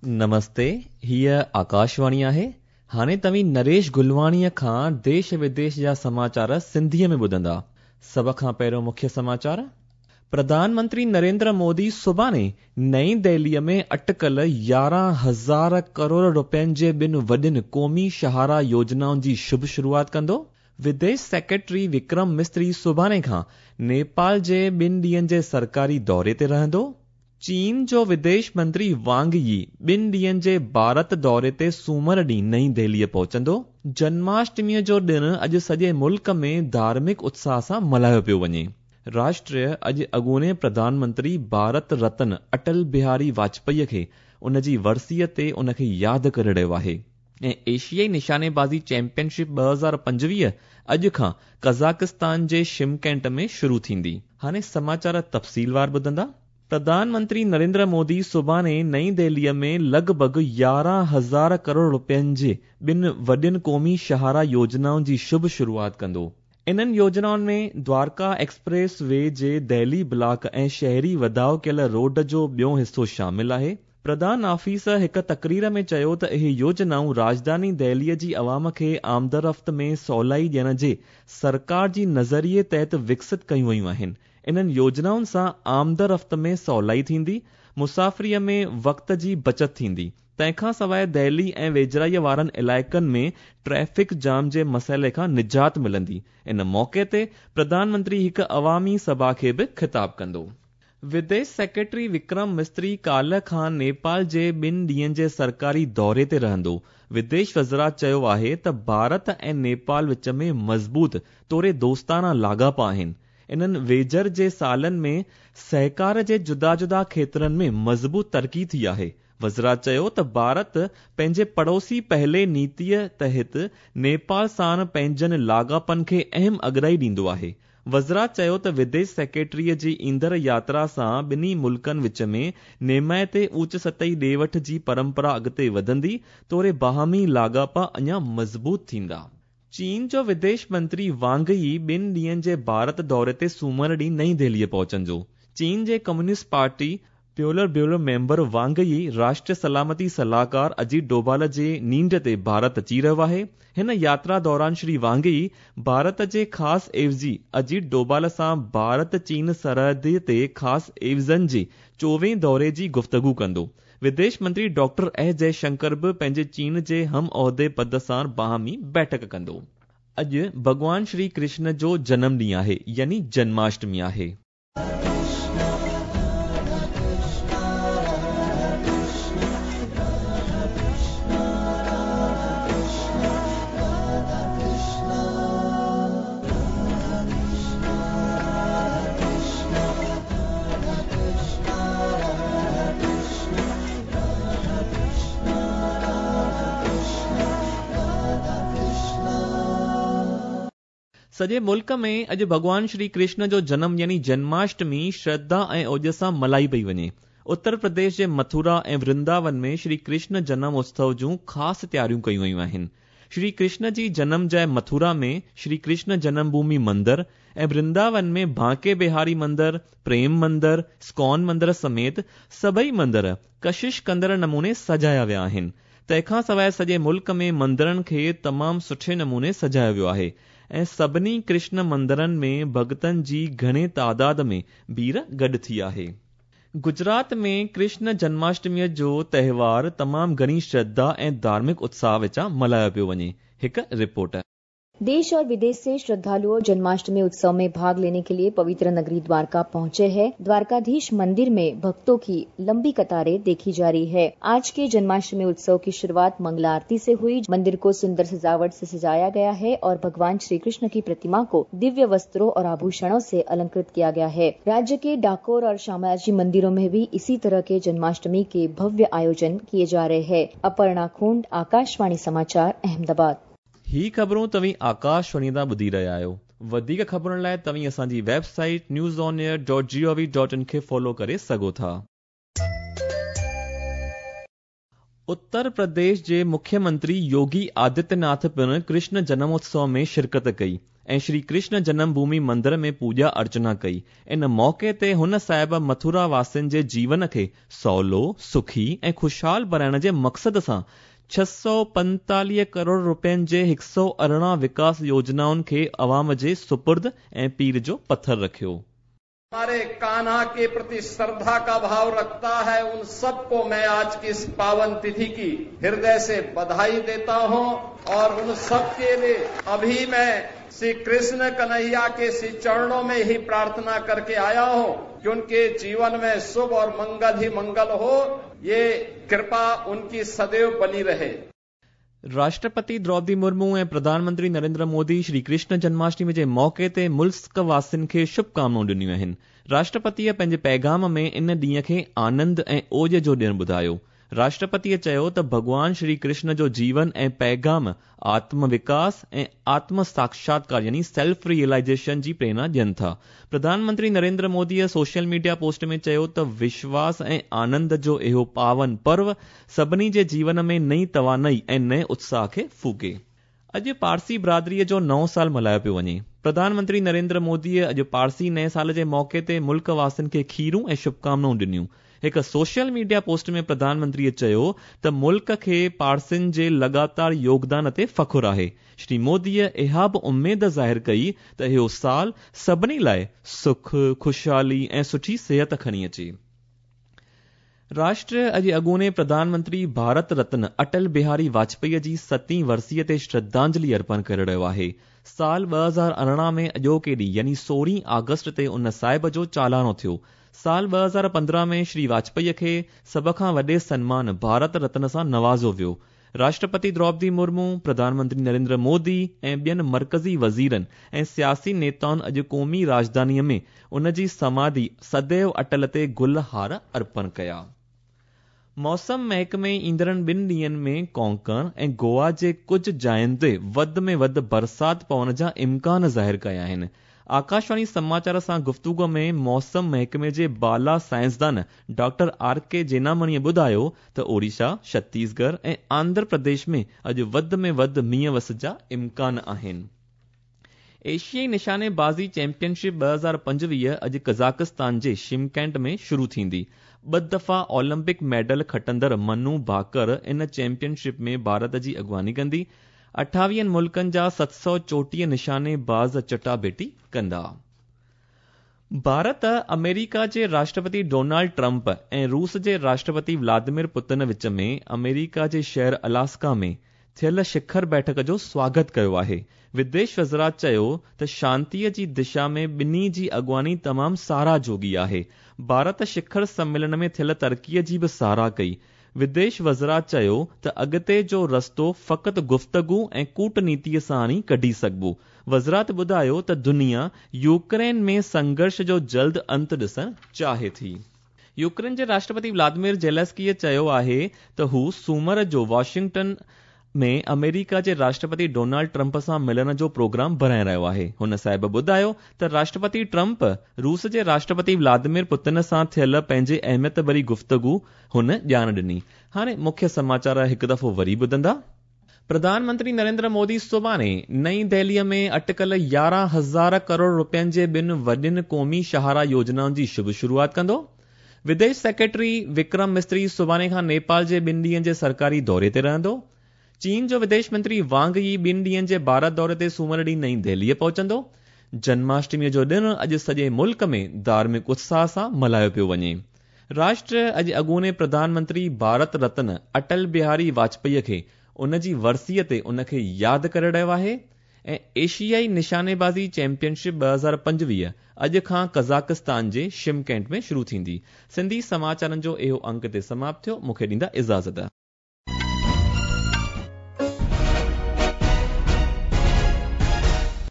نمستي، هيء آڪاشواڻي آهي. هاڻي توهين نريش گلواڻيء کان ديش وديش جا سماچار سنڌيء ۾ ٻڌندا. سڀ کان پهريون مکيه سماچار. پرڌان منتري نريندر مودي سڀاڻي نئين دهليء ۾ اٽڪل 11,000 ڪروڙ رپين جي ٻن وڏين قومي شاهراهه يوجنائن جي شڀ شروعات ڪندو. وديش سيڪريٽري وڪرم مصري سڀاڻي کان نيپال جي ٻن ڏينهن جي سرڪاري دوري تي رهندو. چين جو وديش منتري وانگ يي ٻن ڏينهن جي ڀارت دوري تي سومر ڏينهن نئين دهليء پهچندو. جنماشٽميء جو ڏڻ اڄ سڄي ملڪ ۾ ڌارمڪ اتساهه سان ملهايو پيو وڃي. راشٽر اڄ اڳوڻي پرڌان منتري ڀارت رتن اٽل بهاري واجپائيء کي ان جي ورسيء تي ان کي ياد ڪري رهيو آهي. ۽ ايشيائي نشانيبازي چيمپيئن شپ 2025 اڄ کان قزاقستان جي شمڪينٽ ۾ شروع ٿيندي. هاڻي سماچار تفصيلوار ٻڌندا. پرڌان منتري نريندر مودي سڀاڻي نئين دهليء ۾ لڳ ڀڳ 11,000 ڪروڙ رپين جي ٻن وڏين قومي شاهراهه يوجنائن جي شڀ شروعات ڪندو. انهن يوجنائن ۾ دوارڪا ايڪسپريس وي جي دهلي بلاڪ ۽ شهري وڌاء ڪيل روڊ جو ٻيو حصو شامل آهي. پرڌان آفيس هڪ تقرير ۾ چيو ته اهي يوجنائون راڄڌاني دهليء جي عوام کي آمدرفت ۾ سولائي ڏيڻ جي سرڪار جي نظريي تحت وڪست ڪيون ويون آهن. انهن يوجنائن سان آمدرفت ۾ سولائي ٿيندي، مسافريء ۾ وقت جي بچت ٿيندي. تنهن کان سواء دهلي ۽ ويجهڙائيء وارن علائقن ۾ ٽريفڪ جام جي مسئلي کان نجات ملندي. ان موقعي تي پرڌان منتري هڪ عوامي سڀا کي به خطاب ڪندو. وديش سيڪريٽري وڪرم مصري ڪالهه کان نيپال جي ٻن ڏينهن جي سرڪاري دوري تي رهندو. وديش وزارت چيو آهي ته ڀارت ۽ نيپال وچ ۾ مضبوط توڙي دوستاڻا لاڳاپا آهن. انهن ويجهڙ جي سالن ۾ سهڪار جي جدا جدا کيترن ۾ مضبوط ترقي ٿي آهي. وزارت چيو ته ڀارت پنهنجي پڙوسي پهلي نيتيء تحت نيپال سان پنهنجن لاڳاپن کي اهم اڳرائي ڏيندو آهي. وزارت چيو ته وديش سيڪريٽريء جي ايندڙ ياترا سان ٻنهي ملڪن وچ ۾ نيمائتي اوچ سطحي ڏي وٺ جي پرمپرا اڳتي وڌندي توڙي باهمي لاڳاپا اڃا مضبوط ٿيندا. چين جو وديش منتري وانگ يي ٻن ڏينهن جي ڀارت دوري تي سومر ڏينهن نئين دهليء پهچندو. چين جي ڪميونسٽ پارٽي پولٽ بيورو ميمبر وانگ يي راشٽريه سلامتي صلاحڪار اجيت ڊوڀال جي نينڍ تي ڀارت اچي رهيو آهي. هن ياترا دوران شري وانگ يي ڀارت جي خاص عيوضي اجيت ڊوڀال سان ڀارت چين سرحد تي خاص عيوضن جي چوويهين دوري جي گفتگو ڪندو. وديش منتري ڊاڪٽر ايس جئي شنڪر به پنهنجي چين جي هم عهدي پد سان باهمي بيٺڪ ڪندو. اڄ ڀڳوان شري ڪرشن جو جنم ڏينهن آهي يعني جنماشٽمي آهي. سڄي ملڪ ۾ اڄ ڀڳوان شري ڪرشن جو جنم يعني جنماشٽمي شرڌا ۽ اوڄ سان ملهائي پئي وڃي. اتر پرديش جي مٿرا ۽ ورنداون ۾ شري ڪرشن جنم اتسو جون خاص تياريون ڪيون ويون آهن. شري ڪرشن جي جنم جاء مٿرا ۾ شري ڪرشن جنم ڀومي مندر ۽ ورنداون ۾ بانڪي بهاري مندر، پريم مندر، اسڪان مندر سميت سڀئي مندر ڪشش ڪندڙ نموني سجايا ويا آهن. تنهن کان سواء سڄي ملڪ ۾ مندرن کي تمام سٺي نموني سجايو ويو آهي ۽ سڀني ڪرشن مندرن ۾ ڀڳتن جي گهڻي تعداد ۾ ڀيڙ گڏ ٿي آهي. گجرات ۾ ڪرشن جنماشٽميء جو تهوار تمام گهڻي شرڌا ۽ ڌارمڪ اتساهه وچان ملهايو پيو وڃي. هڪ رپورٽ. देश और विदेश से श्रद्धालुओं जन्माष्टमी उत्सव में भाग लेने के लिए पवित्र नगरी द्वारका पहुंचे हैं। द्वारकाधीश मंदिर में भक्तों की लंबी कतारें देखी जा रही है। आज के जन्माष्टमी उत्सव की शुरुआत मंगला आरती से हुई। मंदिर को सुंदर सजावट से सजाया गया है और भगवान श्री कृष्ण की प्रतिमा को दिव्य वस्त्रों और आभूषणों से अलंकृत किया गया है। राज्य के डाकोर और शामलाजी मंदिरों में भी इसी तरह के जन्माष्टमी के भव्य आयोजन किए जा रहे हैं। अपर्णा खूंट, आकाशवाणी समाचार, अहमदाबाद। ही ख़बरूं तव्हीं आकाशवाणी तां ॿुधी रहिया आहियो। वधीक ख़बरुनि लाइ तव्हीं असांजी वेबसाइट newsonair.gov.in खे फॉलो करे सघो था। उत्तर प्रदेश जे मुख्यमंत्री योगी आदित्यनाथ पिणु कृष्ण जनमोत्सव में शिरकत कई। ۽ شري ڪرشن جنم ڀومي مندر ۾ پوڄا ارچنا ڪئي. ان موقعي تي هن صاحب مٿرا واسين جي جيون کي سولو، سکي ۽ خوشحال بڻائڻ جي مقصد سان 645 ڪروڙ رپين جي 118 وڪاس يوجنائن کي عوام جي سپرد ۽ پيڙهه جو پٿر رکيو. हमारे कान्हा के प्रति श्रद्धा का भाव रखता है उन सबको मैं आज की इस पावन तिथि की हृदय से बधाई देता हूं और उन सब के लिए अभी मैं श्री कृष्ण कन्हैया के श्री चरणों में ही प्रार्थना करके आया हूं कि उनके जीवन में शुभ और मंगल ही मंगल हो, ये कृपा उनकी सदैव बनी रहे। राष्ट्रपति द्रौपदी मुर्मू ऐं प्रधानमंत्री नरेंद्र मोदी श्री कृष्ण जन्माष्टमी जे मौक़े ते मुल्क वासियुनि खे शुभकामनाऊं ॾिनियूं आहिनि। राष्ट्रपतीअ पंहिंजे पैगाम में इन ॾींहं खे आनंद ऐं ओज जो ॾिणु ॿुधायो। राष्ट्रपतीअ चयो त भॻवान श्री कृष्ण जो जीवन ऐं पैगाम आत्म विकास ऐं आत्म साक्षात्कार यानी सेल्फ रियलाइजेशन जी प्रेरणा ॾियनि था। प्रधानमंत्री नरेंद्र मोदीअ सोशल मीडिया पोस्ट में चयो त विश्वास ऐं आनंद जो इहो पावन पर्व सभिनी जे जीवन में नई तवानाई ऐं नए उत्साह खे फूके। अॼु पारसी बिरादरीअ जो नओं साल मल्हायो पियो वञे। प्रधानमंत्री नरेंद्र मोदीअ अॼु पारसी नए साल जे मौक़े ते मुल्क वासियुनि खे खीरूं ऐं शुभकामनाऊं ॾिनियूं। हिकु सोशल मीडिया पोस्ट में प्रधानमंत्रीअ चयो त मुल्क खे पारसियुनि जे लॻातार योगदान ते फ़ख़ुरु आहे। श्री मोदीअ इहा बि उमेद ज़ाहिर कई त इहो साल सभिनी लाइ सुख, ख़ुशहाली ऐं सुठी सिहत खणी अचे। राष्ट्र अॼु अॻूणे प्रधानमंत्री भारत रत्न अटल बिहारी वाजपेयी जी सतीं वरसीअ ते श्रद्धांजलि अर्पण करे रहियो आहे। साल 2018 में अॼोके ॾींहुं यानी 16 आगस्ट ते उन साहिब जो चालानो थियो। साल 2015 में श्री वाजपेयी खे सभ खां वॾे सन्मान भारत रत्न सां नवाज़ो वियो। राष्ट्रपति द्रौपदी मुर्मू, प्रधानमंत्री नरेंद्र मोदी ऐं ॿियनि मर्कज़ी वज़ीरनि ऐं सियासी नेताउनि अॼु क़ौमी राजधानीअ में उन जी समाधि सदैव अटल ते गुल हार अर्पण कया। मौसम महकमे ईंदड़नि ॿिनि ॾींहंनि में कोंकण ऐं गोवा जे कुझु जायुनि ते वधि में वधि बरसाति पवण जा इम्कान ज़ाहिर कया आहिनि। आकाशवाणी समाचार सां गुफ़्तगू में मौसम महकमे जे बाला साइंसदान डॉक्टर आर के जेनामणीअ ॿुधायो त ओडिशा, छत्तीसगढ़ ऐं आंध्र प्रदेश में अॼु वधि में वधि मींहुं वस जा इम्कान आहिनि। एशियाई निशानेबाज़ी चैंपियनशिप 2025 अॼु कज़ाकिस्तान जे शिमकेंट में शुरू थींदी। ॿ दफ़ा ओलंपिक मेडल खटंदड़ मनु भाकर इन चैंपियनशिप में भारत जी अॻुवानी कंदी। 28 मुल्कनि जा 734 निशानेबाज़ चटाभेटी कंदा। भारत अमेरिका जे राष्ट्रपति डोनाल्ड ट्रंप ऐं रूस जे राष्ट्रपति व्लादिमीर पुतिन विच में अमेरिका जे शहर अलास्का में थियल शिखर बैठक जो स्वागत कयो आहे। विदेश वज़रात चयो त शांतीअ जी दिशा में ॿिन्ही जी अॻुवानी तमामु साराह जोॻी आहे। भारत शिखर सम्मेलन में थियल तरक़ीअ जी बि साराह कई। विदेश वज़रात चयो त अॻिते जो रस्तो फ़क़ति गुफ़्तगू ऐं कूटनीतीअ सां ई कढी सघिबो। वज़रात ॿुधायो त दुनिया यूक्रेन में संघर्ष जो जल्द अंत ॾिसणु चाहे थी। यूक्रेन जे राष्ट्रपति व्लादिमीर ज़ेलेंस्कीअ चयो आहे त हू सूमर जो वॉशिंगटन में अमेरिका जे राष्ट्रपति डोनाल्ड ट्रंप सां मिलण जो प्रोग्राम बणाए रहियो आहे। हुन साहिब ॿुधायो त राष्ट्रपति ट्रंप रूस जे राष्ट्रपति व्लादिमीर पुतिन सां थियल पंहिंजी अहमियत भरी गुफ़्तगू हुन ॼाण ॾिनी। हाणे मुख्य समाचार हिकु दफ़ो वरी ॿुधंदा। प्रधानमंत्री नरेंद्र मोदी सुभाणे नई दिल्लीअ में अटकल 11,000 करोड़ रुपयनि जे ॿिनि वॾियुनि क़ौमी शाहराह योजनाउनि जी शुभ शुरूआत कंदो। विदेश सेक्रेटरी विक्रम मिस्त्री सुभाणे खां नेपाल जे ॿिनि ॾींहंनि जे सरकारी दौरे ते रहंदो। चीन जो विदेश मंत्री वांग यी ॿिनि ॾींहंनि जे भारत दौरे ते सूमर ॾींहुं नई दिल्लीअ पहुचंदो। जन्माष्टमीअ जो ॾिणु अॼु सॼे मुल्क में धार्मिक उत्साह सां मल्हायो पियो वञे। राष्ट्र अॼु अॻूणे प्रधानमंत्री भारत रत्न अटल बिहारी वाजपेयी खे उन जी वरसीअ ते उनखे यादि करे रहियो आहे। ऐं एशियाई निशानेबाज़ी चैंपियनशिप 2025 अॼु खां कज़ाकिस्तान जे शिमकेंट में शुरू थींदी। सिंधी समाचारनि जो इहो अंक ते समाप्त थियो। मूंखे ॾींदा इजाज़त।